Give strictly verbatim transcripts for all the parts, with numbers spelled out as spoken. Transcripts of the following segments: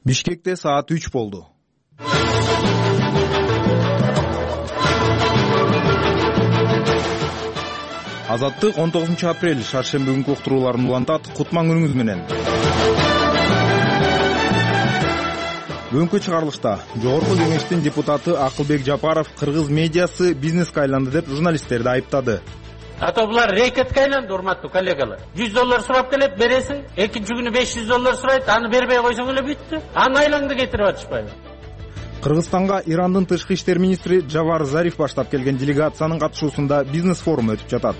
Бишкекте саат үч болду. Азаттык он тогузунчу апрель шаршемби күнкү уктурууларын улантат. Кутман күнүңүз менен. Бүгүнкү чыгарылышта Жогорку Кеңештин депутаты Акылбек Жапаров кыргыз медиасы бизнеске айланды деп журналисттерди айыптады. Ата булар рекетке айланды, урматтуу коллегалар. жүз доллар сурап келет, бересиң, экинчи күнү беш жүз доллар сурайт, аны бербей койсоң эле бүттү. Аны айлаңды кетирип атышпайбы? Кыргызстанга Ирандын тышкы иштер министри Джавар Зариф баштап келген делегациянын катышуусунда бизнес форуму өтүп жатат.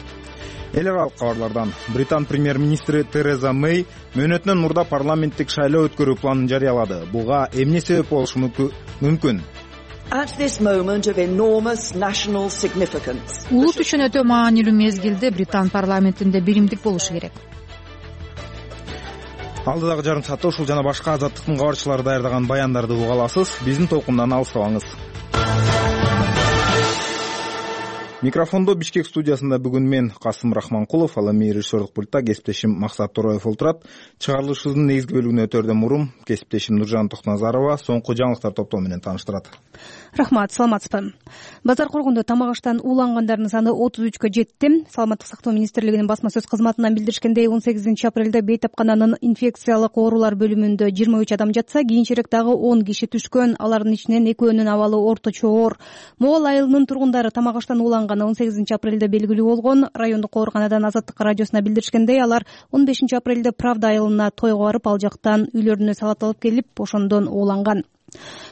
Эл аралык кабарлардан Британ премьер-министри Тереза Мэй мөөнөтүнөн мурда парламенттик шайлоо өткөрүү планын жарыялады. Буга эмне себеп болушу мүмкүн? Улут үчүн өтө маанилүү мезгилде Британ парламентинде биримдик болушу керек. Алдыдагы жарым саатта ушул жана башка азаттыктын кабарчылары даярдаган баяндарды уга аласыз. Биздин толкундан алыстабаңыз. Микрофондо Бишкек студиясында бүгүн мен Касым Рахманкулов, ал эми режиссерлук пультта кесиптешим Максат Тороев отурат. Чыгарылышыбыздын негизги бөлүгүнө өтөрдөн мурун кесиптешим Нуржан Токназарова соңку жаңылыктар топтоо менен тааныштырат. Рахмат, саламатсызбы. Базар коргондо тамак аштан уулангандардын саны отуз үчкө жетти. Саламаттык сактоо министрлигинин басма сөз кызматынан билдиришкендей, он сегизинчи апрелде бейтапкананын инфекциялык оорулар бөлүмүндө жыйырма үч адам жатса, кийинчерээк дагы он киши түшкөн. Алардын ичинен экөөнүн абалы орточо оор. Могол айылынын тургундары тамак аштан ууланганы он сегизинчи апрелде белгилүү болгон. Райондук ооруканадан Азаттык радиосуна билдиришкендей, алар он бешинчи апрелде Правда айылына тойго барып, ал жактан үйлөрүнө салат алып келип, ошондон ууланган.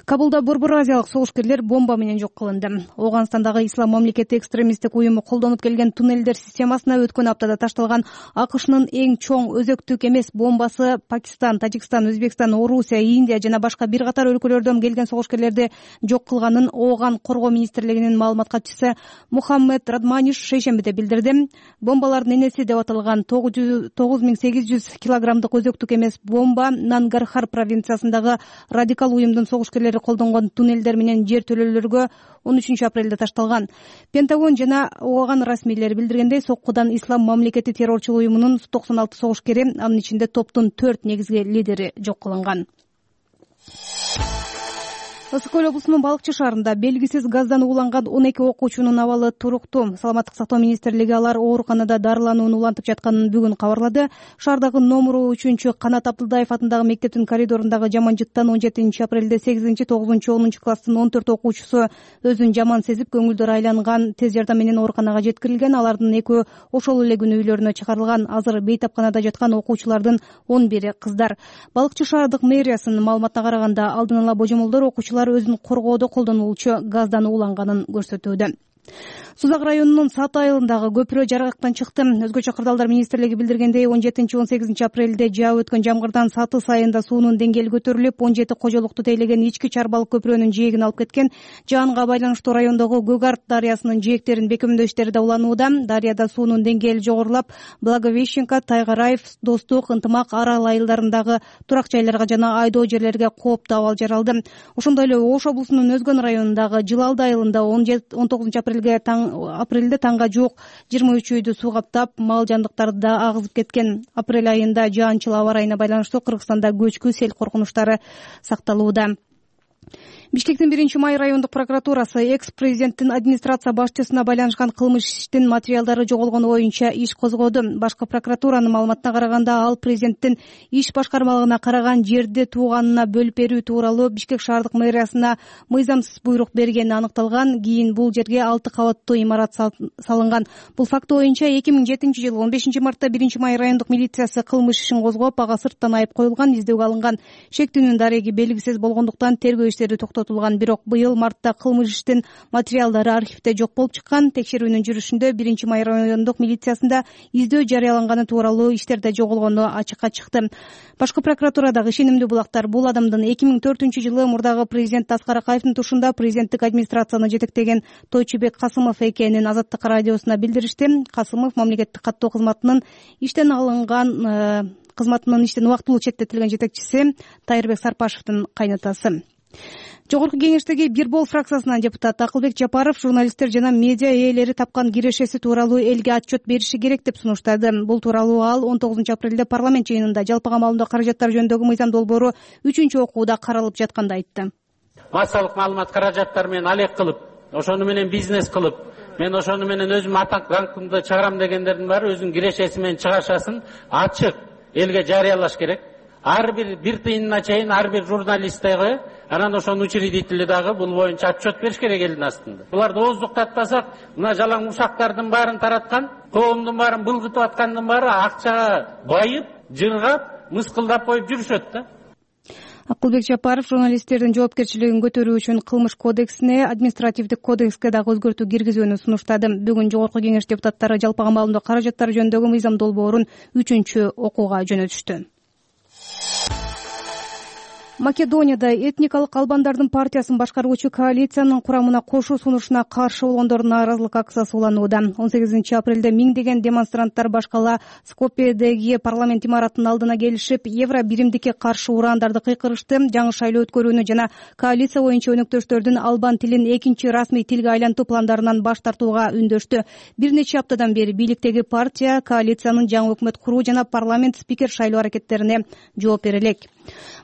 Кабулда Борбор Азиялык согушкерлер бомба менен жок кылынды. Ооганстандагы Ислам мамлекети экстремисттик уюму колдонуп келген туннелдер системасына өткөн аптада ташталган АКШнын эң чоң өзөктүк эмес бомбасы Пакистан, Тажикстан, Өзбекстан, Орусия, Индия жана башка бир катар өлкөлөрдөн келген согушкерлерди жок кылганын Ооган коргоо министрлигинин маалымат катчысы Мухаммед Радманиш шейшембиде билдирди. Бомбалардын энеси деп аталган тогуз миң сегиз жүз килограммдык өзөктүк эмес бомба Нангархар провинциясындагы радикал уюмдун согушкерлери колдонгон туннелдер менен жер төлөөлөргө он үчүнчү апрелде ташталган. Пентагон жана Ооган расмийлери билдиргендей, соккудан Ислам мамлекети террорчулук уюмунун токсон алты согушкери, анын ичинде топтун төрт негизги лидери жок кылынган. Ысык көл облусунун Балыкчы шаарында белгисиз газдан ууланган он эки окуучунун абалы туруктуу. Саламаттык сактоо министрлиги алар ооруканада дарыланууну улантып жатканын бүгүн кабарлады. Шаардагы номуру үчүнчү Канат Абдылдаев атындагы мектептин коридорундагы жаман жыттан он жетинчи апрелде сегизинчи, тогузунчу, онунчу класстын он төрт окуучусу өзүн жаман сезип, көңүлдөрү айланган. Тез жардам менен ооруканага жеткирилген. Алардын экөө ошол эле күнү үйлөрүнө чыгарылган. Азыр бейтапканада жаткан окуучулардын он бири кыздар. Балыкчы шаардык мэриясынын маалыматына караганда, алдын ала божомолдор окуучулар өзүн коргоодо колдонулуучу газдан ууланганын көрсөтүүдө. Сузак районунун Саты айылындагы көпүрө жаргактан чыкты. Өзгөчө кырдаалдар министрлиги билдиргендей, он жетинчи, он сегизинчи апрелде жаап өткөн жамгырдан Саты сайында суунун деңгээли көтөрүлүп, он жети кожолукту тейлеген ички чарбалык көпүрөнүн жээгин алып кеткен. Жаанга байланыштуу райондогу Көгарт дарыясынын жээктерин бекемдөө иштери да уланууда. Дарыяда суунун деңгээли жогорулап, Благовещенко, Тайгараев, Достук, Ынтымак, Арал айылдарындагы турак жайларга жана айдоо жерлерге кооптуу абал жаралды. Ошондой эле Ош облусунун Өзгөн районундагы Жылалды айылында он тогузунчу апрелге апрелде таңга жук жыйырма үч үйдү суу каптап, мал жандыктарды да агызып кеткен. Апрель айында жаанчыл аба ырайына байланыштуу Кыргызстанда көчкү сел коркунучтары сакталууда. Бишкектин биринчи май райондук прокуратурасы экс-президенттин администрация башчысына байланышкан кылмыш иштин материалдары жоголгону боюнча иш козгоду. Башкы прокуратуранын маалыматына караганда, ал президенттин иш башкармалыгына караган жерди тууганына бөлүп берүү тууралуу Бишкек шаардык мэриясына мыйзамсыз буйрук бергени аныкталган. Кийин бул жерге алты кабаттуу имарат салынган. Бул факт боюнча эки миң жетинчи жылы он бешинчи мартта биринчи май райондук милициясы кылмыш ишин козгоп, ага сырттан айып коюлган, издөөгө алынган. Шектүүнүн дареги белгисиз болгондуктан тергөө иштери токтотулган. Бирок быйыл мартта кылмыш иштин материалдары архивде жок болуп чыккан. Текшерүүнүн жүрүшүндө биринчи май райондук милициясында издөө жарыяланганы тууралуу иштерде жоголгону ачыкка чыкты. Башкы прокуратурадагы ишенимдүү булактар бул адамдын эки миң төртүнчү жылы мурдагы президент Аскар Акаевдин тушунда президенттик администрацияны жетектеген Тойчубек Касымов экенин Азаттык радиосуна билдиришти. Касымов мамлекеттик каттоо кызматынын иштен алынган кызматынын иштен убактылуу четтетилген жетекчиси Тайырбек Сарпашевдин кайнатасы. Жогорку кеңештеги Бир Бол фракциясынын депутаты Акылбек Жапаров журналисттер жана медиа ээлери тапкан кирешеси тууралуу элге отчет бериши керек деп сунуштады. Бул тууралуу ал он тогузунчу апрелде парламент жыйынында жалпы камалымдуу каражаттар жөнүндөгү мыйзам долбоору үчүнчү окууда каралып жатканда айтты. Массалык маалымат каражаттары менен алек кылып, ошону менен бизнес кылып, мен ошону менен өзүм атак даңкымды чыгарам дегендердин баары өзүнүн кирешеси менен чыгашасын ачык элге жарыялаш керек. Ар бир бир тыйынына чейин ар бир журналист дагы, анан ошонун учредители дагы бул боюнча отчет бериш керек элдин астында. Буларды ооздуктатпасак, мына жалаң ушактардын баарын тараткан, коомдун баарын былгытып аткандын баары акчага байып, жыргап, мыскылдап коюп жүрүшөт да. Акылбек Жапаров журналисттердин жоопкерчилигин көтөрүү үчүн кылмыш кодексине, административдик кодекске дагы өзгөртүү киргизүүнү сунуштады. Бүгүн Жогорку кеңеш депутаттары жалпы камалымдуу каражаттар жөнүндөгү мыйзам долбоорун үчүнчү окууга жөнөтүштү. Македонияда этникалык албандардын партиясын башкаруучу коалициянын курамына кошуу сунушуна каршы болгондордун нааразылык акциясы уланууда. он сегизинчи апрелде миңдеген демонстранттар башкала Скопьедеги парламент имаратынын алдына келишип, евро биримдикке каршы ураандарды кыйкырышты, жаңы шайлоо өткөрүүнү жана коалиция боюнча өнөктөштөрдүн албан тилин экинчи расмий тилге айлантуу пландарынан баш тартууга үндөштү. Бир нече аптадан бери бийликтеги партия коалициянын жаңы өкмөт куруу жана парламент спикер шайлоо аракеттерине жооп бере элек.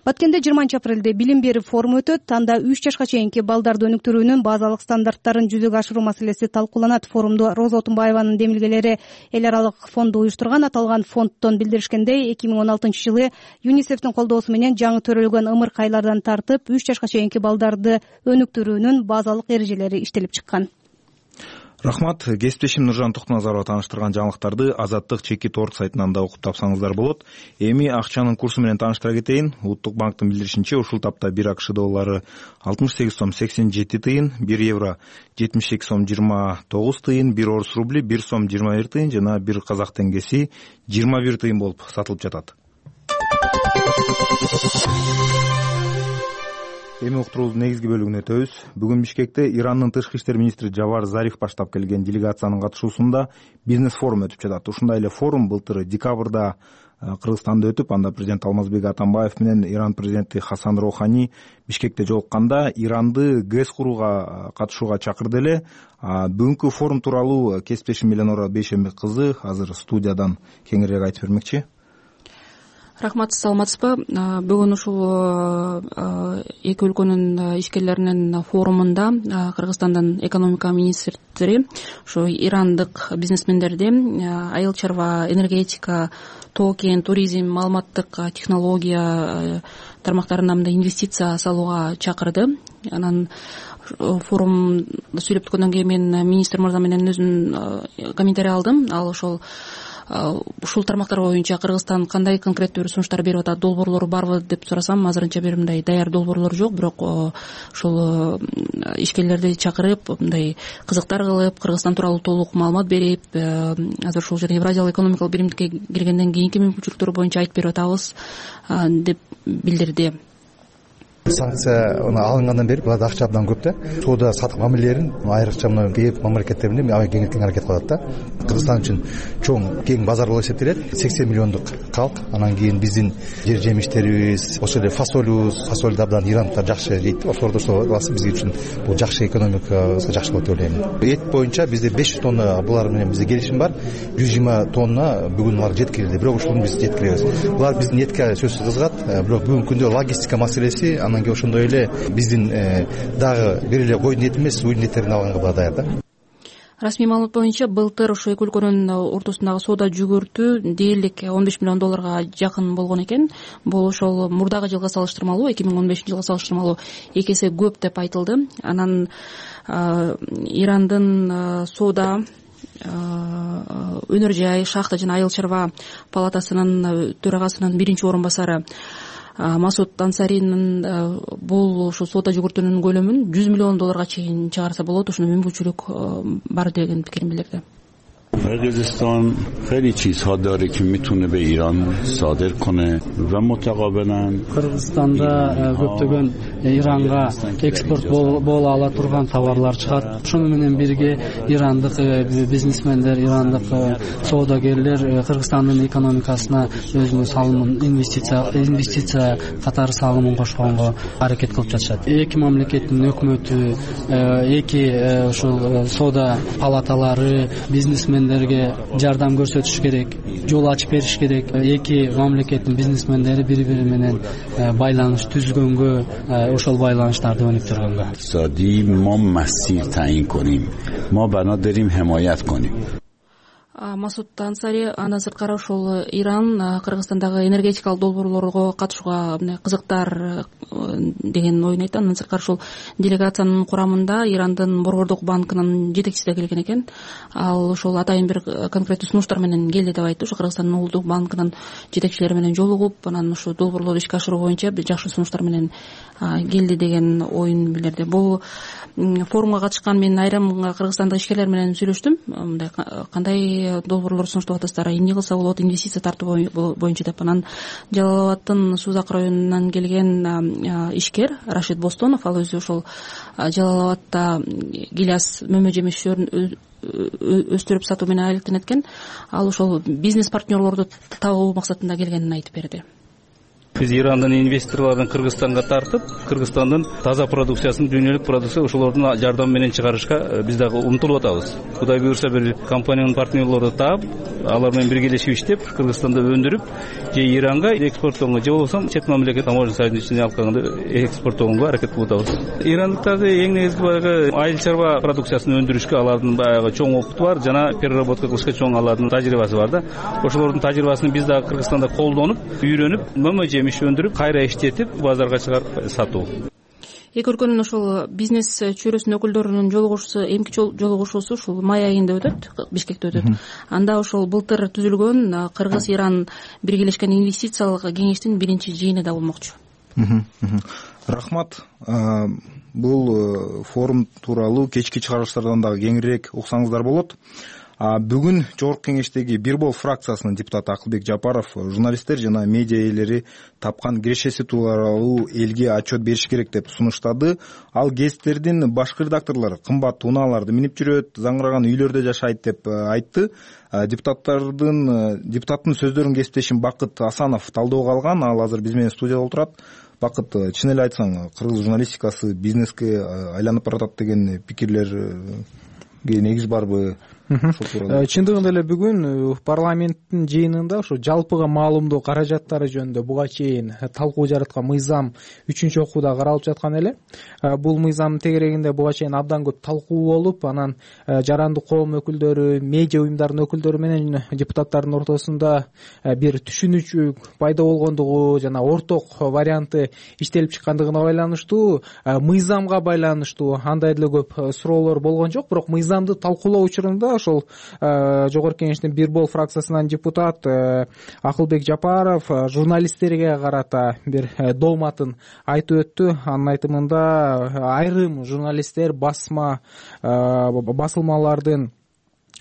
Баткенде жыйырманчы апрелде билим берүү форуму өтөт. Анда үч жашка чейинки балдарды өнүктүрүүнүн базалык стандарттарын жүзөгө ашыруу маселеси талкууланат. Форумду Роза Отунбаеванын демилгелери эл аралык фонду уюштурган. Аталган фонддон билдиришкендей, эки миң он алтынчы жылы ЮНИСЕФтин колдоосу менен жаңы төрөлгөн ымыркайлардан тартып үч жашка чейинки балдарды өнүктүрүүнүн базалык эрежелери иштелип чыккан. Рахмат. Кесиптешим Нуржан Токтоназарова тааныштырган жаңылыктарды Азаттык чеки торг сайтынан да окуп тапсаңыздар болот. Эми акчанын курсу менен тааныштыра кетейин. Улуттук банктын билдиришинче, ушул тапта бир АКШ доллары алтымыш сегиз сом сексен жети тыйын, бир евро жетимиш эки сом жыйырма тогуз тыйын, бир орус рубли бир сом жыйырма бир тыйын жана бир казак теңгеси жыйырма бир тыйын болуп сатылып жатат. Эми уктуруубуздун негизги бөлүгүнө өтөбүз. Бүгүн Бишкекте Ирандын тышкы иштер министри Жавар Зариф баштап келген делегациянын катышуусунда бизнес форум өтүп жатат. Ушундай эле форум былтыр декабрда Кыргызстанда өтүп, анда президент Алмазбек Атамбаев менен Иран президенти Хасан Рохани Бишкекте жолукканда Иранды ГЭС курууга катышууга чакырды эле. Бүгүнкү форум тууралуу кесиптешим Эленора Бейшембек кызы азыр студиядан кеңирээк айтып бермекчи. Рахмат, саламатсызбы. Бүгүн ушул эки өлкөнүн ишкерлеринин форумунда Кыргызстандын экономика министрлери ушу ирандык бизнесмендерди айыл чарба, энергетика, тоо кен, туризм, маалыматтык технология тармактарына мындай инвестиция салууга чакырды. Анан форумда сүйлөп өткөндөн кийин мен министр мырза менен өзүм комментарий алдым. Ал ошол ушул тармактар боюнча Кыргызстан кандай конкреттүү бир сунуштар берип атат, долбоорлору барбы деп сурасам, азырынча бир мындай даяр долбоорлор жок, бирок ушул ишкерлерди чакырып, мындай кызыктар кылып, Кыргызстан тууралуу толук маалымат берип, азыр ушул жерде Евразиялык экономикалык биримдикке киргенден кийинки мүмкүнчүлүктөр боюнча айтып берип атабыз деп билдирди. Санкция алынгандан бери буларда акча абдан көп да. Соода сатык мамилелерин айрыкча мына Б мамлекеттер менен аябай кеңейткен аракет кылат да. Кыргызстан үчүн чоң кең базар болуп эсептелет. сексен миллиондук калк. Анан кийин биздин жер жемиштерибиз, ошол эле фасолубуз, фасолду абдан ирандар жакшы жейт. Ошолорду сатабыз. Бизге үчүн бул жакшы экономикабызга жакшы болот деп ойлойм. Эт боюнча бизде беш жүз тонна булар менен бизде келишим бар. жүз жыйырма тонна бүгүн алар жеткирилди. Бирок ушуну биз жеткиребиз. Булар биздин этке сөзсүз кызыгат. Бирок бүгүнкү күндө логистика маселеси, анан кийин ошондой эле биздин дагы бир эле койдун эти эмес, уюн эттерин алганга була даяр да. Расмий маалымат боюнча былтыр ошо эки өлкөнүн ортосундагы соода жүгүртүү дээрлик он беш миллион долларга жакын болгон экен. Бул ошол мурдагы жылга салыштырмалуу, эки миң он бешинчи жылга салыштырмалуу эки эсе көп деп айтылды. Анан Ирандын соода, өнөр жай, шахта жана айыл чарба палатасынын төрагасынын биринчи орун басары Масуд Ансаринин бул ошо соода жүгүртүүнүн көлөмүн жүз миллион долларга чейин чыгарса болот, ушуна мүмкүнчүлүк бар деген пикирин билдирди. قرقیزستان خیلی چیزها داره که میتونه به ایران صادر کنه و متقابلا Кыргызстанда көптөгөн Иранга экспорт боло ала турган товарлар чыгат. Ошону менен бирге ирандык бизнесмендер, ирандык соодагерлер Кыргызстандын экономикасына өзүнүн салымын, инвестиция инвестиция катары салымын кошконго аракет кылып жатышат. Эки мамлекеттин өкмөтү, эки ушул соода палаталары бизнесмендерге жардам көрсөтүш керек, жол ачып бериш керек. Эки мамлекеттин бизнесмендери бири-бири менен байланыш түзгөнгө, ошол байланыштарды өнүктүргөнгө. اقتصادی ما مسیر تعیین کنیم. ما بنا داریم حمایت کنیم. Масуд Ансари андан сырткары ошол Иран Кыргызстандагы энергетикалык долбоорлорго катышууга кызыктар деген оюн айтты. Андан сырткары ошол делегациянын курамында Ирандын Борбордук банкынын жетекчиси да келген экен. Ал ошол атайын бир конкреттүү сунуштар менен келди деп айтты. Ошо Кыргызстандын Улуттук банкынын жетекчилери менен жолугуп, анан ушул долбоорлорду ишке ашыруу боюнча жакшы сунуштар менен келди деген оюн билдирди. Бул форумга катышкан мен айрым кыргызстандык ишкерлер менен сүйлөштүм. Мындай кандай долбоорлор сунуштап атасыздар, эмне кылса болот инвестиция тартуу боюнча деп. Анан Жалал Абадтын Сузак районунан келген ишкер Рашид Бостонов, ал өзү ошол Жалал Абадта гиляс мөмө жемиштерин өстүрүп сатуу менен алектенет экен. Ал ошол бизнес партнерлорду табуу максатында келгенин айтып берди. Биз Ирандын инвесторлорун Кыргызстанга тартып, Кыргызстандын таза продукциясын, дүйнөлүк продукция ошолордун жардамы менен чыгарышка биз дагы умтулуп атабыз. Кудай буйрса бир компаниянын партнерлорду таап, алар менен биргелешип иштеп, Кыргызстанда өндүрүп, же Иранга экспорттоого, же болбосо чет мамлекет таможня союзунун алкагында экспорттоого аракет кылып атабыз. Ирандыктарды эң негизги баягы айыл чарба продукциясын өндүрүшкө алардын баягы чоң опыту бар, жана переработка кылышка чоң алардын тажрыйбасы бар да. Ошолордун тажрыйбасын биз дагы Кыргызстанда колдонуп, үйрөнүп, мөмө иш өндүрүп, кайра иштетип, базарга чыгарып сатуу. Эки өлкөнүн ошол бизнес чөйрөсүнүн өкүлдөрүнүн жолугушуусу, эмки жолугушуусу ушул май айында өтөт, Бишкекте өтөт. Анда ошол былтыр түзүлгөн Кыргыз-Иран биргелешкен инвестициялык кеңештин биринчи жыйыны да болмокчу. Рахмат. Бул форум тууралуу кечки чыгарылыштардан дагы кеңирээк уксаңыздар болот. Бүгүн Жогорку кеңештеги Бир Бол фракциясынын депутаты Акылбек Жапаров журналисттер жана медиа ээлери тапкан кирешеси тууралуу элге отчет бериш керек деп сунуштады. Ал гезиттердин башкы редакторлору кымбат унааларды минип жүрөт, заңыраган үйлөрдө жашайт деп айтты. Депутаттардын депутаттын сөздөрүн кесиптешим Бакыт Асанов талдоого алган. Ал азыр биз менен студияда отурат. Бакыт, чын эле айтсаң, кыргыз журналистикасы бизнеске айланып баратат деген пикирлерге негиз барбы? Чындыгында эле бүгүн парламенттин жыйынында ушу жалпыга маалымдоо каражаттары жөнүндө буга чейин талкуу жараткан мыйзам үчүнчү окууда каралып жаткан эле. Бул мыйзамдын тегерегинде буга чейин абдан көп талкуу болуп, анан жарандык коом өкүлдөрү, медиа уюмдарынын өкүлдөрү менен депутаттардын ортосунда бир түшүнүчү пайда болгондугу жана орток варианты иштелип чыккандыгына байланыштуу, мыйзамга байланыштуу андай деле көп суроолор болгон жок. Бирок мыйзамды талкуулоо учурунда ошол Жогорку кеңештин Бир Бол фракциясынан депутат Акылбек Жапаров журналисттерге карата бир дооматын айтып өттү. Анын айтымында айрым журналисттер, басма басылмалардын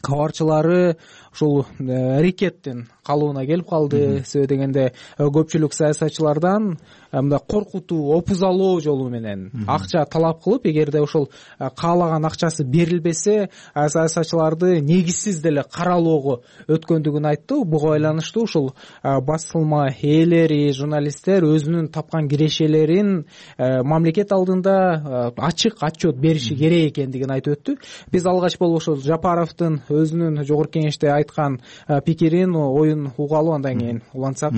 кабарчылары ушул рекеттин калыбына келип калды. Себеби дегенде көпчүлүк саясатчылардан мындай коркутуу, опузалоо жолу менен акча талап кылып, эгерде ошол каалаган акчасы берилбесе, саясатчыларды негизсиз деле каралоого өткөндүгүн айтты. Буга байланыштуу ушул басылма ээлери, журналисттер өзүнүн тапкан кирешелерин мамлекет алдында ачык отчет бериши керек экендигин айтып өттү. Биз алгач болуп ошол Жапаровдун өзүнүн Жогорку кеңеште айткан пикирин, оюн угалы, андан кийин улантсак.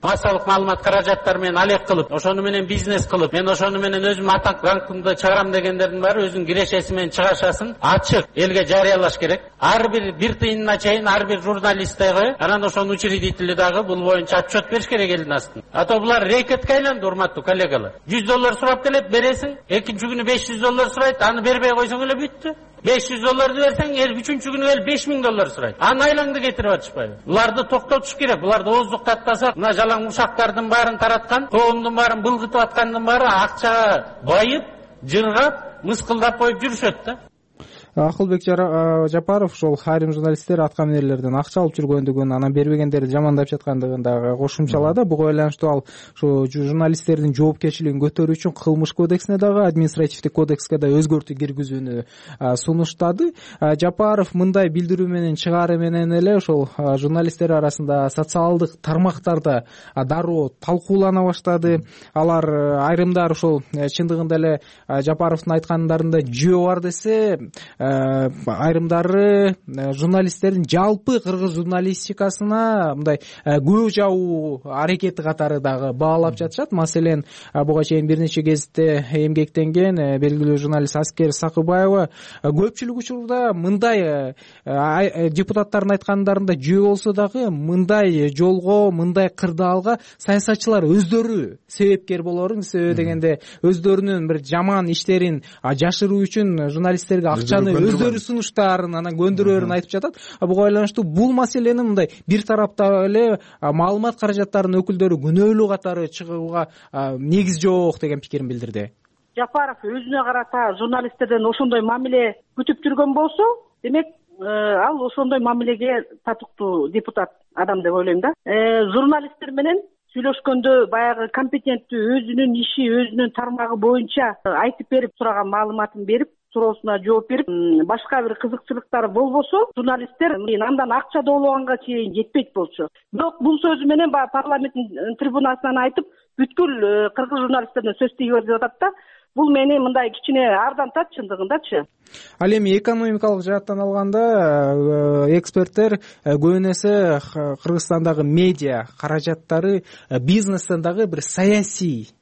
Массалык маалымат каражаттары менен алек кылып, ошону менен бизнес кылып, мен ошону менен өзүм атак ранкымды чыгарам дегендердин баары өзүнүн кирешеси менен чыгашасын ачык элге жарыялаш керек. Ар бир бир тыйынына чейин ар бир журналист дагы, анан ошонун учредители дагы бул боюнча отчет бериш керек элдин астына. А то булар рекетке айланды, урматтуу коллегалар. жүз доллар сурап келет, бересиң, экинчи күнү беш жүз доллар сурайт, аны бербей койсоң эле бүттү. беш жүз долларды берсең, эл үчүнчү күнү эл беш миң доллар сурайт. Аны айлаңды кетирип атышпайбы? Буларды токтотуш керек. Буларды ооздуктатпасак, мына жалаң ушактардын баарын тараткан, коомдун баарын былгытып аткандын баары акчага байып, жыргап, мыскылдап коюп жүрүшөт да. Акылбек Жапаров ошол айрым журналисттер аткаминерлерден акча алып жүргөндүгүн, анан бербегендерди жамандап жаткандыгын дагы кошумчалады. Буга байланыштуу ал ушу журналисттердин жоопкерчилигин көтөрүү үчүн кылмыш кодексине дагы, административдик кодекске да өзгөртүү киргизүүнү сунуштады. Жапаров мындай билдирүү менен чыгаары менен эле ошол журналисттер арасында социалдык тармактарда дароо талкуулана баштады. Алар айрымдар ошол чындыгында эле Жапаровдун айткандарында жөө бар десе, айрымдары журналисттердин жалпы кыргыз журналистикасына мындай көө жабуу аракети катары дагы баалап жатышат. Маселен, буга чейин бир нече гезитте эмгектенген белгилүү журналист Аскер Сакыбаева көпчүлүк учурда мындай депутаттардын айткандарында жөө болсо дагы мындай жолго, мындай кырдаалга саясатчылар өздөрү себепкер болорун, себеби дегенде өздөрүнүн бир жаман иштерин жашыруу үчүн журналисттерге акчаны өздөрү сунуштаарын, анан көндүрөөрүн айтып жатат. Буга байланыштуу бул маселени мындай бир тарапта эле маалымат каражаттарынын өкүлдөрү күнөөлүү катары чыгууга негиз жок деген пикирин билдирди. Жапаров өзүнө карата журналисттерден ошондой мамиле күтүп жүргөн болсо, демек ал ошондой мамилеге татыктуу депутат адам деп ойлойм да. Журналисттер менен сүйлөшкөндө баягы компетенттүү өзүнүн иши, өзүнүн тармагы боюнча айтып берип, сураган маалыматын берип, суроосуна жооп берип, башка бир кызыкчылыктары болбосо, журналисттер андан акча доологанга чейин жетпейт болчу. Бирок бул сөзү менен парламенттин трибунасынан айтып, бүткүл кыргыз журналисттерине сөз тийип берип атат да. Бул мени мындай кичине ардантат чындыгындачы. Ал эми экономикалык жааттан алганда эксперттер көбүн эсе Кыргызстандагы медиа каражаттары бизнестен дагы бир саясий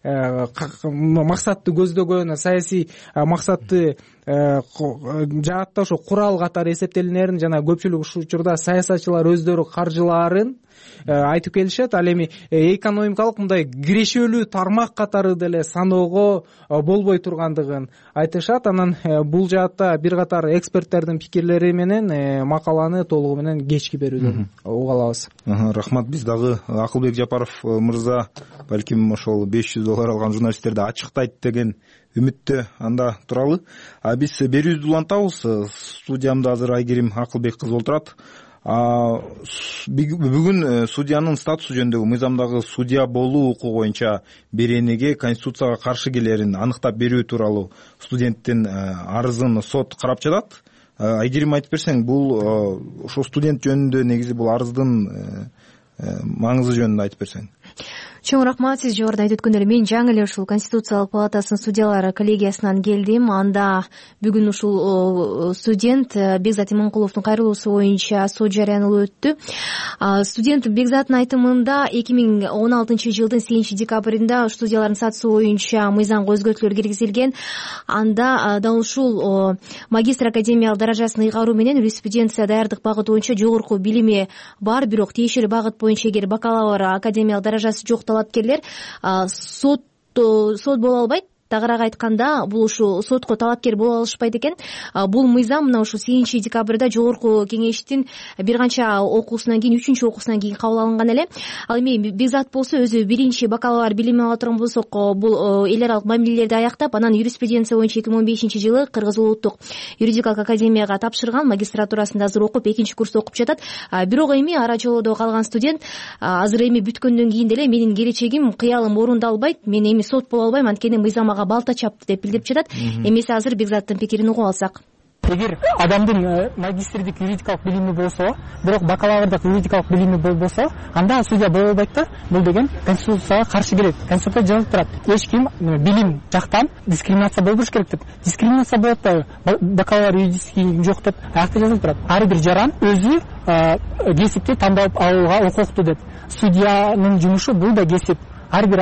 максатты көздөгөн, саясий максатты жаатта ошо курал катары эсептелинерин жана көпчүлүк ушул учурда саясатчылар өздөрү каржылаарын айтып келишет. Ал эми экономикалык мындай кирешелүү тармак катары деле саноого болбой тургандыгын айтышат. Анан бул жаатта бир катар эксперттердин пикирлери менен макаланы толугу менен кечки берүүдөн уга алабыз. Рахмат. Биз дагы Акылбек Жапаров мырза балким ошол беш жүз доллар алган журналисттерди ачыктайт деген үмүттө анда туралы. А биз берүүбүздү улантабыз. Студиямда азыр Айгерим Акылбек кызы отурат. Бүгүн судьянын статусу жөнүндөгү мыйзамдагы судья болуу укугу боюнча беренеге конституцияга каршы келерин аныктап берүү тууралуу студенттин арызын сот карап жатат. Айгерим, айтып берсең, бул ошо студент жөнүндө негизи бул арыздын маңызы жөнүндө айтып берсең. Чоң рахмат. Сиз жогоруда айтып өткөндөй эле мен жаңы эле ушул Конституциялык палатасынын судьялары коллегиясынан келдим. Анда бүгүн ушул студент Бекзат Иманкуловдун кайрылуусу боюнча сот жарыянылып өттү. Студент Бекзаттын айтымында эки миң он алтынчы жылдын сегизинчи декабрында судьялардын статусу боюнча мыйзамга өзгөртүүлөр киргизилген. Анда дал ушул магистр академиялык даражасын ыйгаруу менен юриспруденция даярдык багыты боюнча жогорку билими бар, бирок тиешелүү багыт боюнча эгер бакалавр академиялык даражасы жок талапкерлер сот сот боло албайт. Тагыраак айтканда, бул ушу сотко талапкер боло алышпайт экен. Бул мыйзам мына ушу сегизинчи декабрда жогорку кеңештин бир канча окуусунан кийин, үчүнчү окуусунан кийин кабыл алынган эле. Ал эми Бекзат болсо өзү биринчи бакалавр билими ала турган болсок, бул эл аралык мамилелерди аяктап, анан юриспруденция боюнча эки миң он бешинчи жылы Кыргыз улуттук юридикалык академияга тапшырган, магистратурасында азыр окуп, экинчи курста окуп жатат. Бирок эми ара жолдо калган студент азыр эми бүткөндөн кийин деле менин келечегим, кыялым орундалбайт, мен эми сот боло албайм, анткени мыйзам балта чапты деп билдирип жатат. Эмесе азыр Бекзаттын пикирин угуп алсак. Эгер адамдын магистрдик юридикалык билими болсо, бирок бакалаврдык юридикалык билими болбосо, анда судья боло албайт да. Бул деген конституцияга каршы келет. Конституцияда жазылып турат: эч ким билим жактан дискриминация болбош керек деп. Дискриминация болот да, бакалавр юридический жок деп аякта жазылып турат. Ар бир жаран өзү кесипти тандап алууга укуктуу деп. Судьянын жумушу бул да кесип. Ар бир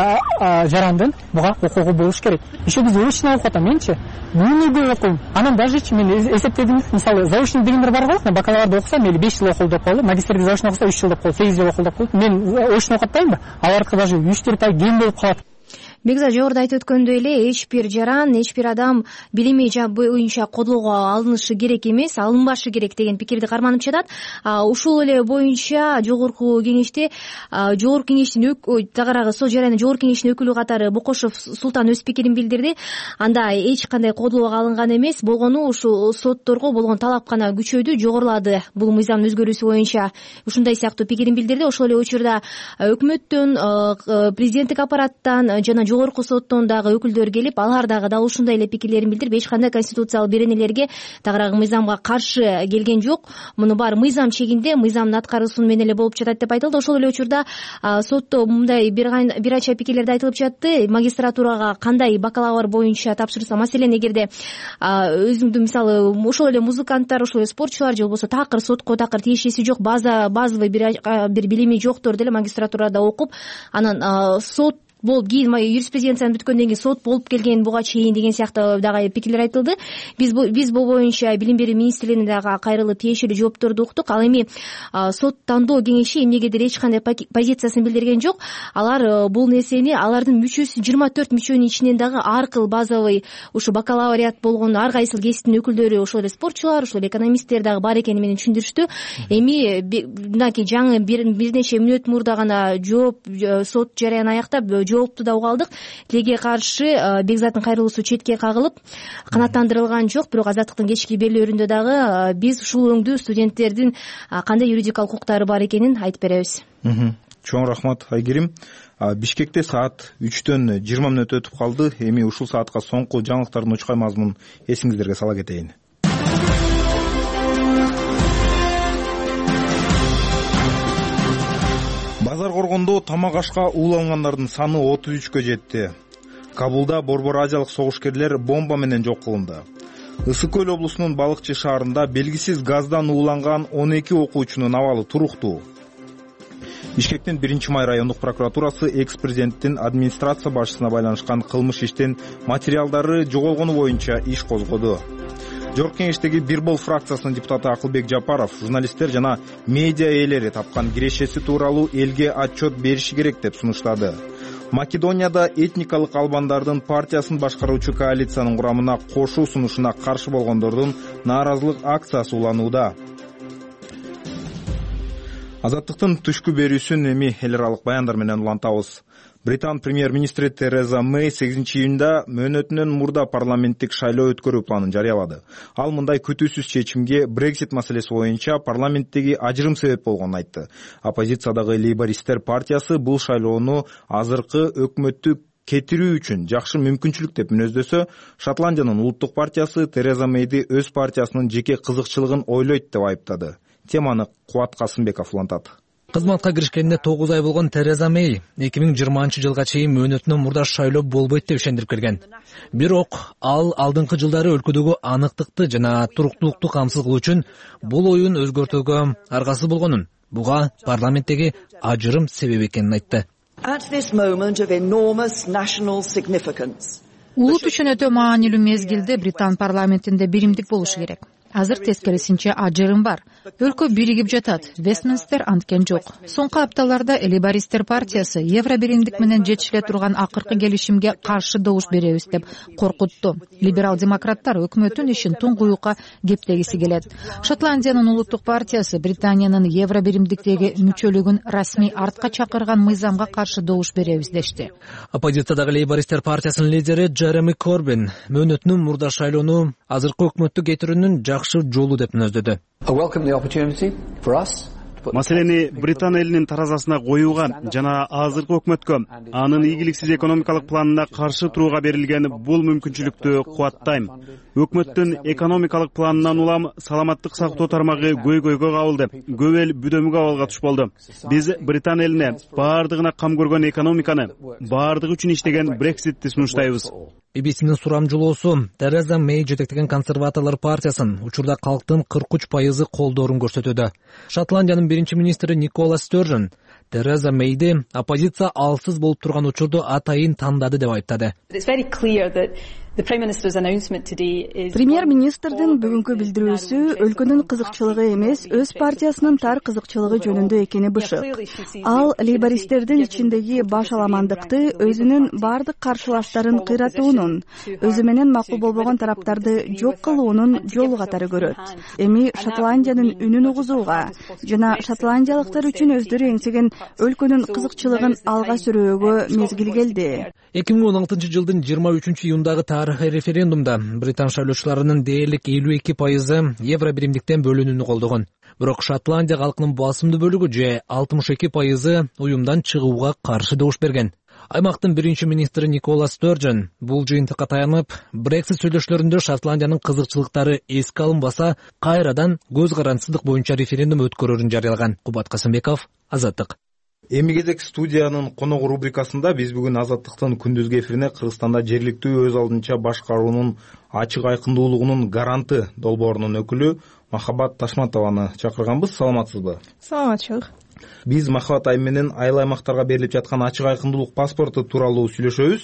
жарандын буга укугу болуш керек. Еще биз заочный окуп атам, менчи бүгүнгө окуйм. Анан дажечи мен эсептедим, мисалы заочный дегендер бар го, бакалаврда окуса мейли беш жыл окул деп коелу, магистрде заочный окуса үч жыл деп коелу, сегиз жыл окул деп коелу. Мен очный окуп атпаймынбы? Алардыкы даже үч төрт ай кем болуп калат. бекзат жогоруда айтып өткөндөй эле эч бир жаран эч бир адам билими боюнча кодолго алынышы керек эмес, алынбашы керек деген пикирди карманып жатат. Ушул эле боюнча жогорку кеңеште жогорку кеңештин тагыраагы сот жаранын жогорку кеңештин өкүлү катары Бокошов Султан өз пикирин билдирди. Анда эч кандай кодолго алынган эмес, болгону ушул сотторго болгон талап гана күчөйдү, жогорулады. Бул мыйзамдын өзгөрүүсү боюнча ушундай сыяктуу пикирин билдирди. Ошол эле учурда өкмөттөн, президенттик аппараттан жана жогорку соттон дагы өкүлдөр келип, алар дагы дал ушундай эле пикирлерин билдирип, эч кандай конституциялык беренелерге, тагыраагы мыйзамга каршы келген жок. Муну баары мыйзам чегинде, мыйзамдын аткаруусу менен эле болуп жатат деп айтылды. Ошол эле учурда сотто мындай бир анча пикирлерди айтылып жатты. Магистратурага кандай бакалавр боюнча тапшырса, маселен эгерде өзүңдү мисалы ошол эле музыканттар, ошол эле спортчулар же болбосо такыр сотко такыр тиешеси жок, база базовый бир билими жоктор деле магистратурада окуп, анан сот болуп кийин юриспруденцияны бүткөндөн кийин сот болуп келген буга чейин деген сыяктуу дагы пикирлер айтылды. Биз биз бул боюнча билим берүү министрлигине дагы кайрылып тиешелүү жоопторду уктук. Ал эми сот тандоо кеңеши эмнегедир эч кандай позициясын билдирген жок. Алар бул нерсени алардын мүчөсү жыйырма төрт мүчөнүн ичинен дагы ар кыл базовый ушу бакалавриат болгон ар кайсыл кесиптин өкүлдөрү, ошол эле спортчулар, ошол эле экономисттер дагы бар экени менен түшүндүрүштү. Эми мынакей жаңы бир нече мүнөт мурда гана жооп сот жараянын аяктап жоопту да уга алдык. Тилеге каршы Бекзаттын кайрылуусу четке кагылып, канааттандырылган жок. Бирок Азаттыктын кечки берүүлөрүндө дагы биз ушул өңдүү студенттердин кандай юридикалык укуктары бар экенин айтып беребиз. Чоң рахмат Айгерим. Бишкекте саат үчтөн жыйырма мүнөт өтүп калды. Эми ушул саатка соңку жаңылыктардын учкай мазмунун эсиңиздерге сала кетейин. Базар коргондо тамак ашка уулангандардын саны отуз үчкө жетти. Кабулда Борбор Азиялык согушкерлер бомба менен жок кылынды. Ысык көл облусунун Балыкчы шаарында белгисиз газдан ууланган он эки окуучунун абалы туруктуу. Бишкектин биринчи май райондук прокуратурасы экс-президенттин администрация башчысына байланышкан кылмыш иштин материалдары жоголгону боюнча иш козгоду. Жогорку кеңештеги Бир Бол фракциясынын депутаты Акылбек Жапаров журналисттер жана медиа ээлери тапкан кирешеси тууралуу элге отчет бериши керек деп сунуштады. Македонияда этникалык албандардын партиясын башкаруучу коалициянын курамына кошуу сунушуна каршы болгондордун нааразылык акциясы уланууда. Азаттыктын түшкү берүүсүн эми эл аралык баяндар менен улантабыз. Британ премьер-министри Тереза Мэй сегизинчи июнда мөөнөтүнөн мурда парламенттик шайлоо өткөрүү планын жарыялады. Ал мындай күтүүсүз чечимге Брексит маселеси боюнча парламенттеги ажырым себеп болгонун айтты. Оппозициядагы лейбористтер партиясы бул шайлоону азыркы өкмөттү кетирүү үчүн жакшы мүмкүнчүлүк деп мүнөздөсө, Шотландиянын улуттук партиясы Тереза Мэйди өз партиясынын жеке кызыкчылыгын ойлойт деп айыптады. Теманы Кубат Касымбеков улантат. Кызматка киришкенине тогуз ай болгон Тереза Мэй эки миң жыйырманчы жылга чейин мөөнөтүнөн мурда шайлоо болбойт деп ишендирип келген. Бирок ал алдыңкы жылдары өлкөдөгү аныктыкты жана туруктуулукту камсыз кылуу үчүн бул оюн өзгөртүүгө аргасыз болгонун, буга парламенттеги ажырым себеп экенин айтты. Улут үчүн өтө маанилүү мезгилде Британ парламентинде биримдик болушу керек. Азыр тескерисинче ажырым бар. Өлкө биригип жатат. Вестминстер анткен жок. Соңку апталарда лейбористтер партиясы евро биримдик менен жетишиле турган акыркы келишимге каршы добуш беребиз деп коркутту. Либерал демократтар өкмөттүн ишин туңгуюкка кептегиси келет. Шотландиянын улуттук партиясы Британиянын евро биримдиктеги мүчөлүгүн расмий артка чакырган мыйзамга каршы добуш беребиз дешти. Оппозициядагы лейбористтер партиясынын лидери Джереми Корбин мөөнөтүнөн мурда шайлоону азыркы өкмөттү кетирүүнүн жакшы жолу деп мүнөздөдү. Маселени Британ элинин таразасына коюуга жана азыркы өкмөткө анын ийгиликсиз экономикалык планына каршы турууга берилген бул мүмкүнчүлүктү кубаттайм. Өкмөттүн экономикалык планынан улам саламаттык сактоо тармагы көйгөйгө кабылды. Көп эл бүдөмүк абалга туш болду. Биз Британ элине баардыгына кам көргөн экономиканы, баардыгы үчүн иштеген Брекситти сунуштайбыз. би би синин сурамжылоосу Тереза Мэй жетектеген консерваторлор партиясын учурда калктын кырк үч пайызы колдоорун көрсөтүүдө. Шотландиянын биринчи министри Никола Стержен Тереза Мэйди оппозиция алсыз болуп турган учурду атайын тандады деп айыптады. Премьер-министрдин бүгүнкү билдирүүсү өлкөнүн кызыкчылыгы эмес, өз партиясынын тар кызыкчылыгы жөнүндө экени бышык. Ал лейбористтердин ичиндеги башаламандыкты, өзүнүн бардык каршылаштарын кыйратуунун, өзү менен макул болбогон тараптарды жок кылуунун жолу катары көрөт. Эми Шотландиянын үнүн угузууга жана шотландиялыктар үчүн өздөрү эңсеген өлкөнүн кызыкчылыгын алга сүрөөгө мезгил келди. эки миң он алтынчы жылдын жыйырма үчүнчү июндагы тарыхый референдумда британ шайлоочуларынын дээрлик элүү эки пайызы евро биримдиктен бөлүнүүнү колдогон. Бирок Шотландия калкынын басымдуу бөлүгү же алтымыш эки пайызы уюмдан чыгууга каршы добуш берген. Аймактын биринчи министри Никола Сторджон бул жыйынтыкка таянып, Брексит сүйлөшүүлөрүндө Шотландиянын кызыкчылыктары эске алынбаса, кайрадан көз карандысыздык боюнча референдум өткөрөрүн жарыялаган. Кубат Касымбеков, Азаттык. Эми кезек студиянын коногу рубрикасында биз бүгүн Азаттыктын күндүзгү эфирине Кыргызстанда жергиликтүү өз алдынча башкаруунун ачык айкындуулугунун гаранты долбоорунун өкүлү Махабат Ташматованы чакырганбыз. Саламатсызбы? Саламатчылык. Биз Махабат айым менен айыл аймактарга берилип жаткан ачык айкындуулук паспорту тууралуу сүйлөшөбүз.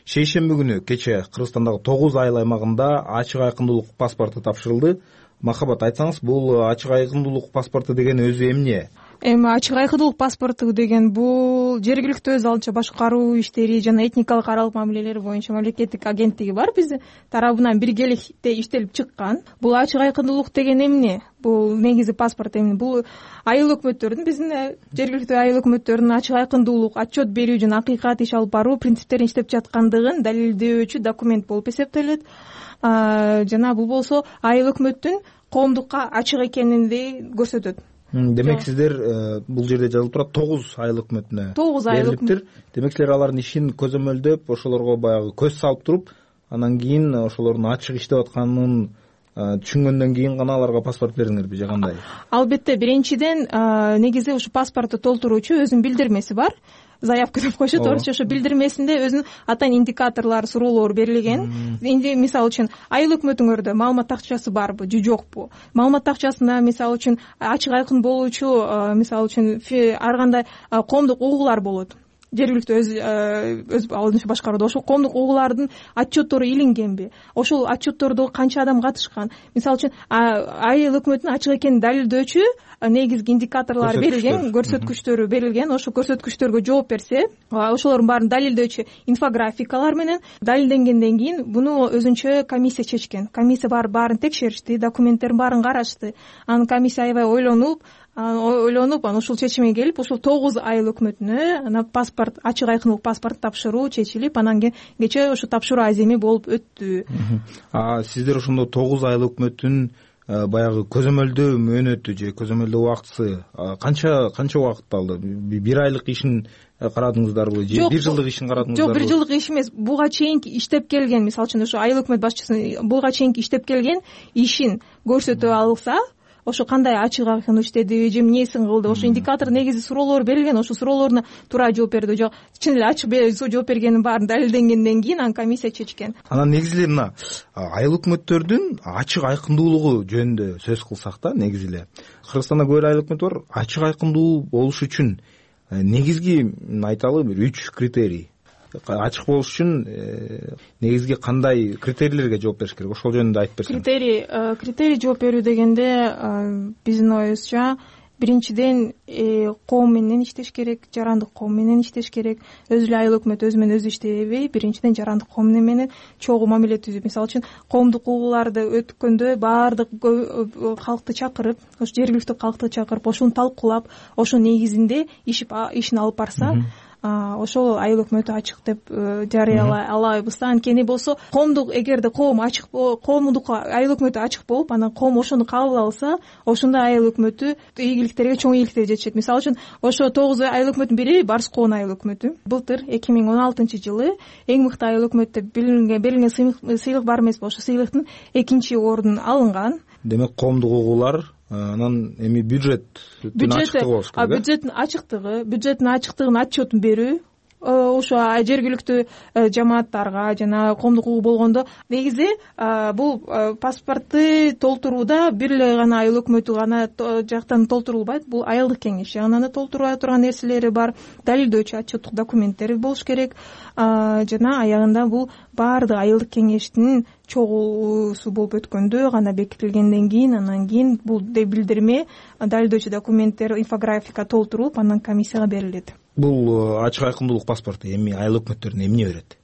Шейшемби күнү кече Кыргызстандагы тогуз айыл аймагында ачык айкындуулук паспорту тапшырылды. Махабат, айтсаңыз, бул ачык айкындуулук паспорту деген өзү эмне? Эми ачык айкындуулук паспорту деген бул жергиликтүү өз алдынча башкаруу иштери жана этникалык аралык мамилелер боюнча мамлекеттик агенттиги бар биздин тарабынан биргеликте иштелип чыккан. Бул ачык айкындуулук деген эмне? Бул негизи паспорт эмне? Бул айыл өкмөттөрдүн, биздин жергиликтүү айыл өкмөттөрүнүн ачык айкындуулук, отчет берүү жана акыйкат иш алып баруу принциптерин иштеп жаткандыгын далилдөөчү документ болуп эсептелет. Жана бул болсо айыл өкмөттүн коомдукка ачык экенин көрсөтөт. Демек сиздер бул жерде жазылып турат тогуз айыл өкмөтүнө тогуз айыл өкмөт. Демек силер алардын ишин көзөмөлдөп, ошолорго баягы көз салып туруп, анан кийин ошолордун ачык иштеп атканын түшүнгөндөн кийин гана аларга паспорт бериңерби же кандай? Албетте, биринчиден негизи ушу паспортду толтуруучу өзүнүн билдирмеси бар. Заявка деп коюшат, орусча ошо билдирмесинде өзүнүн атайын индикаторлор, суроолор берилген. Эми мисалы үчүн айыл өкмөтүңөрдө маалымат тактчасы барбы же жокпу? Маалымат тактчасына мисалы үчүн ачык айкын болуучу, мисалы үчүн ар кандай коомдук угуулар болот. Жергиликтүү өз өз алдынча башкарууда ошол коомдук угуулардын отчеттору илингенби? Ошол отчеттордо канча адам катышкан? Мисалы үчүн айыл өкмөтүнүн ачык экенин далилдөөчү негизги индикаторлор берилген, көрсөткүчтөрү берилген. Ошол көрсөткүчтөргө жооп берсе, ошолордун баарын далилдөөчү инфографикалар менен далилденгенден кийин буну өзүнчө комиссия чечкен. Комиссия бар баарын текшеришти, документтердин баарын карашты. Анан комиссия аябай ойлонуп, ойлонуп анан ушул чечимге келип, ушул тогуз айыл өкмөтүнө анан паспорт, ачык айкындуулук паспорт тапшыруу чечилип, анан кийин кечээ ушу тапшыруу аземи болуп өттү. А сиздер ошондо тогуз айыл өкмөттүн баягы көзөмөлдөө мөөнөтү же көзөмөлдөө убактысы канча канча убакыт алды? Бир айлык ишин карадыңыздарбы же бир жылдык ишин карадыңыздарбы? Жок, бир жылдык иш эмес. Буга чейинки иштеп келген, мисалы үчүн ошо айыл өкмөт башчысынын буга чейинки иштеп келген ишин көрсөтө алса, ошо кандай ачык айкын иштеди же эмнесин кылды, ошо индикатор негизи суроолор берилген, ошо суроолоруна туура жооп берди, жок чын эле ачык жооп бергенин баарын далилденгенден кийин анан комиссия чечкен. Анан негизи эле мына айыл өкмөттөрдүн ачык айкындуулугу жөнүндө сөз кылсак да, негизи эле Кыргызстанда көп айыл өкмөт бар. Ачык айкындуу болуш үчүн негизги айталы бир үч критерий. Ачык болуш үчүн негизги кандай критерийлерге жооп бериш керек? Ошол жөнүндө айтып берсеңиз. Критерий критерий жооп берүү дегенде биздин оюбузча биринчиден коом менен иштеш керек, жарандык коом менен иштеш керек. Өзү эле айыл өкмөт өзү менен өзү иштебей, биринчиден жарандык коом менен чогуу мамиле түзүп, мисалы үчүн коомдук угууларды өткөндө баардык калкты чакырып, ошо жергиликтүү калкты чакырып, ошону талкуулап, ошонун негизинде ишин алып барса, ошол айыл өкмөтү ачык деп жарыялай алабыз да. Анткени болсо коомдук, эгерде коом ачык, коомдук айыл өкмөтү ачык болуп, анан коом ошону кабыл алса, ошондо айыл өкмөтү ийгиликтерге, чоң ийгиликтерге жетишет. Мисалы үчүн ошо тогуз айыл өкмөтүнүн бири Барскоон айыл өкмөтү. Былтыр эки миң он алтынчы жылы эң мыкты айыл өкмөт деп билинген, берилген сыйлык бар эмеспи? Ошо сыйлыктын экинчи ордун алынган. Демек коомдук угуулар анан эми бюджеттин ачыктыгы болуш керек. Бюджеттин ачыктыгы, бюджеттин ачыктыгын отчетун берүү, ошо жергиликтүү жамааттарга жана коомдук укугу болгондо негизи бул паспортты толтурууда бир эле гана айыл өкмөтү гана жактан толтурулбайт, бул айылдык кеңеш жагынан да толтура турган нерселери бар, далилдөөчү отчеттук документтери болуш керек жана аягында бул баардык айылдык кеңештин чогуусу болуп өткөндө гана бекитилгенден кийин анан кийин бул билдирме, далилдөөчү документтер, инфографика толтурулуп анан комиссияга берилет. Бул ачык айкындуулук паспорту эми айыл өкмөттөрүнө эмне берет?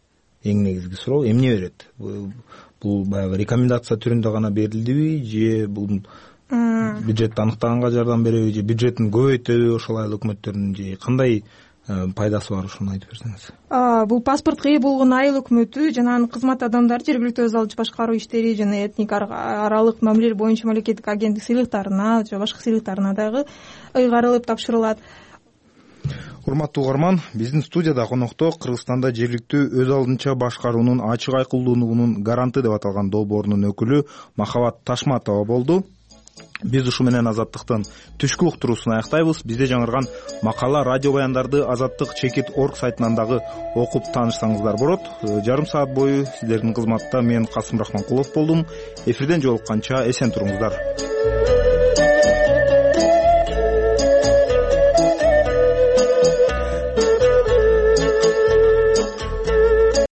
Эң негизги суроо эмне берет? Бул баягы рекомендация түрүндө гана берилдиби же бул бюджетти аныктаганга жардам береби же бюджетин көбөйтөбү ошол айыл өкмөттөрүнүн же кандай пайдасы бар, ошону айтып берсеңиз. Бул паспортко ээ болгон айыл өкмөтү жана анын кызмат адамдары жергиликтүү өз алдынча башкаруу иштери жана этник аралык мамилелер боюнча мамлекеттик агенттик сыйлыктарына же башка сыйлыктарына дагы ыйгарылып тапшырылат. Урматтуу угарман, биздин студияда конокто Кыргызстанда жергиликтүү өз алдынча башкаруунун ачык айкындуулугунун гаранты деп аталган долбоорунун өкүлү Махабат Ташматова болду. Биз ушу менен Азаттыктын түшкү уктуруусун аяктайбыз. Бизде жаңырган макала, радио баяндарды Азаттык чекит точка орг сайтынан дагы окуп таанышсаңыздар болот. Жарым саат бою сиздердин кызматта мен Касым Рахманкулов болдум. Эфирден жолукканча эсен туруңуздар.